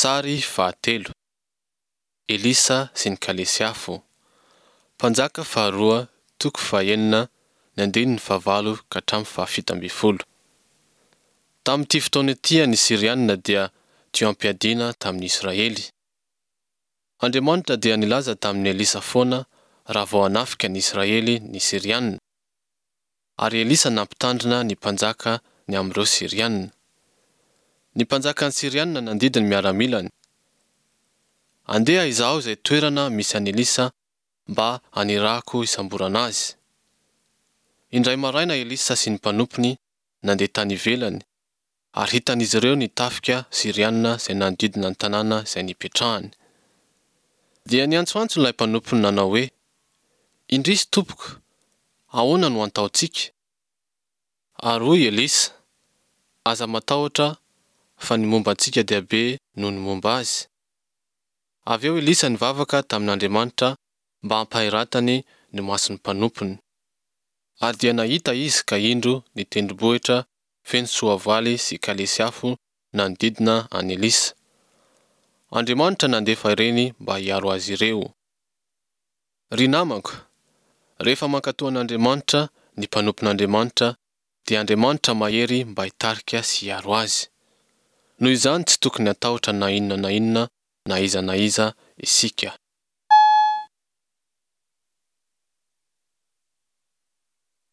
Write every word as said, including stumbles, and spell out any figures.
Sary fahatelo. Elisa sy ny kalesy afo. Mpanjaka faharoa toko fahenina ny andininy fahavalo ka hatramin'ny fahafito ambin'ny folo. Tamin'ity fotoana ity ny Syriana dia teo am-piadiana tamin'ny Israely. Andriamanitra dia nilaza tamin'i Elisa foana raha vao hanafika ny Israely ny Syriana. Ary Elisa nampitandrina ny mpanjaka ny amin'ireo Syriana. Ny mpanjakan'ny Syriana nandidy ny miaramilany. Andeha izaho izay toerana misy an'i Elisa mba hanirahako hisamborana azy. Indray maraina Elisa sy ny mpanompony nandeha tany ivelany, ary hitan'izy ireo ny tafika Syriana izay nanodidina ny tanàna izay nipetrahany. Dia niantsoantso ilay mpanompony nanao hoe, Indrisy tompoko, ahoana no antaontsika? Ary hoy Elisa, Aza matahotra fa ny momba antsika dia be noho ny momba azy. Avy eo Elisa nivavaka tamin'Andriamanitra mba hampahiratany ny mason'ny mpanompony. Ary dia nahita izy ka indro ny tendrombohitra feno soavaly sy kalesy afo nanodidina an'i Elisa. Andriamanitra nandefa ireny mba hiaro azy ireo. Ry namako, rehefa mankatò an'Andriamanitra ny mpanompon'Andriamanitra dia Andriamanitra mahery mba hitarika sy hiaro azy. Noho izany tsy tokony hatahotra na inona na inona na iza na iza isika.